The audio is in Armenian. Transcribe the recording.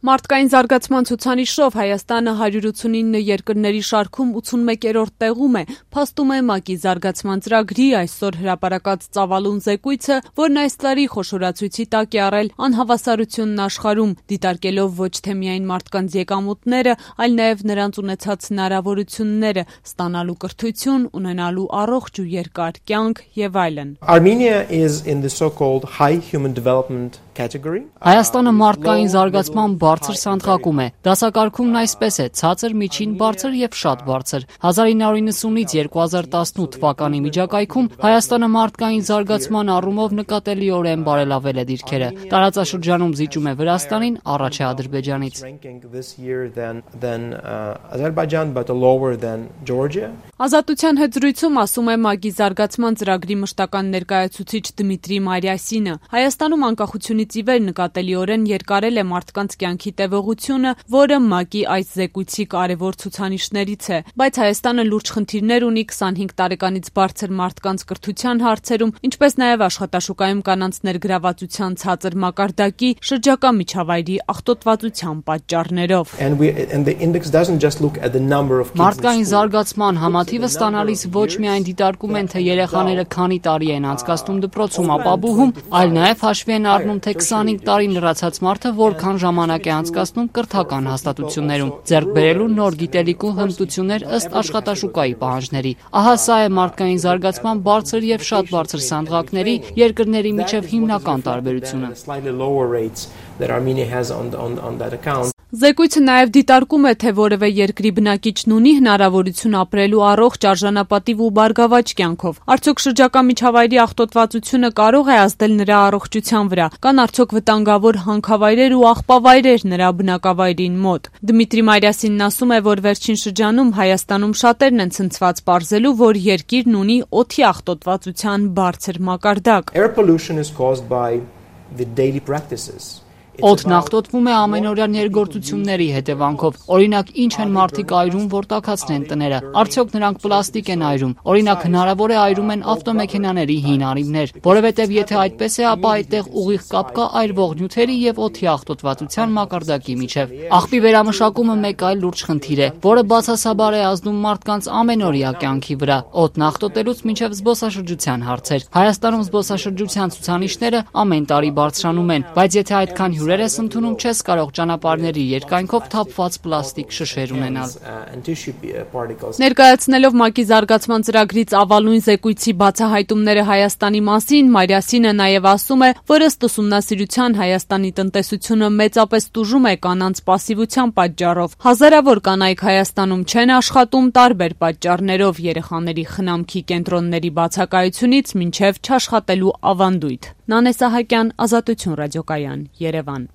Մարդկային զարգացման ցուցանիշով Հայաստանը 189 երկրների շարքում 81-րդ տեղում է, փաստում է ՄԱԿ-ի զարգացման ծրագրի այսօր հրապարակած ծավալուն զեկույցը, որն այս տարի խոշորացույցի տակ է առել անհավասարությունն աշխարհում, դիտարկելով ոչ թե միայն մարդկանց եկամուտները, այլ նաև նրանց ունեցած հնարավորությունները ստանալու կրթություն, ունենալու առողջ ու երկար կյանք եւ այլն։ Armenia is in the so-called high human development category. Հայաստանը մարդկային զարգացման բարձր սանդղակում է։ Դասակարգումն այսպես է՝ ցածր, միջին, բարձր եւ շատ բարձր։ 1990-ից 2018 թվականի միջակայքում Հայաստանը մարդկային զարգացման առումով նկատելիորեն բարելավել է դիրքերը։ Տարածաշրջանում զիջում է Վրաստանին, առաջ է Ադրբեջանից։ Ազատության հետ զրույցում ասում է ՄԱԿ-ի զարգացման ծրագրի մշտական ներկայացուցիչ Դմիտրի Մարիասինը։ Հայաստանում անկախությունից ի վեր նկատելիորեն երկարել է մարդկանց կյանքի տևողությունը, որը ՄԱԿ-ի այս զեկույցի կարևոր ցուցանիշներից է, բայց Հայաստանը լուրջ խնդիրներ ունի 25 տարեկանից բարձր մարդկանց կրթության հարցերում, ինչպես նաև աշխատաշուկայում կանանց ներգրավվածության ցածր մակարդակի, շրջակա միջավայրի աղտոտվածության պատճառներով։ Մարդկային զարգացման համաթիվը ստանալիս ոչ միայն դիտարկում են, թե երեխաները քանի տարի են անցկացնում դպրոցում ապաբուհում, այլ նաև հաշվի են առնում, թե 25 տարի լրացած մարդը որքան ժամանակ է անցկացնում կրթական հաստատություններում, ձեռք բերելու նոր գիտելիք ու հմտություններ ըստ աշխատաշուկայի պահանջների։ Ահա սա է մարդկային զարգացման բարձր եւ շատ բարձր սանդղակների երկրների միջև հիմնական տարբերությունը։ Զեկույցը նաև դիտարկում է, թե որևէ երկրի բնակիչն ունի հնարավորություն ապրելու առողջ, արժանապատիվ ու բարգավաճ կյանքով։ Արդյոք շրջակա միջավայրի աղտոտվածությունը կարող է ազդել նրա առողջության վրա, կան արդյոք վտանգավոր հանքավայրեր ու աղբավայրեր նրա բնակավայրին մոտ։ Դմիտրի Մարիասինն ասում է, որ վերջին շրջանում Հայաստանում շատերն են ցնցված պարզելու, որ երկիրն ունի օդի աղտոտվածության բարձր մակարդակ։ Air pollution is caused by the daily practices. Օդն աղտոտվում է ամենօրյա ներգործությունների հետևանքով։ Օրինակ, ինչ են մարդիկ այրում, որ տաքացնեն տները։ Արդյոք նրանք պլաստիկ են այրում։ Օրինակ, հնարավոր է այրում են ավտոմեքենաների հին արիմներ։ Որովհետև եթե այդպես է, ապա այդտեղ ուղիղ կապ կա այրվող նյութերի եւ օդի աղտոտվածության մակարդակի միջև։ Աղբի վերամշակումը մեկ այլ լուրջ խնդիր է, որը բացասաբար է ազդում մարդկանց ամենօրյա կյանքի վրա։ Օդն աղտոտելուց մինչև զբոսաշրջության հարցեր։ Հայաստանում զբոսաշրջության ցուցանիշները ամեն տարի բարձրանում են, բայց եթե այդքան հյուրեր ես ընդունում, չես կարող ճանապարհների երկայնքով թափված պլաստիկ շշեր ունենալ։ Ներկայացնելով ՄԱԿ-ի զարգացման ծրագրի ծավալուն զեկույցի բացահայտումները Հայաստանի մասին, Մարիասինը նաև ասում է, որ ըստ ուսումնասիրության Հայաստանի տնտեսությունը մեծապես տուժում է կանանց պասիվության պատճառով։ Հազարավոր կանայք Հայաստանում չեն աշխատում տարբեր պատճառներով՝ երեխաների խնամքի կենտրոնների բացակայությունից մինչև չաշխատելու ավանդույթ։ Նանե Սահակյան, Ազատություն ռադիոկայան, Երևան։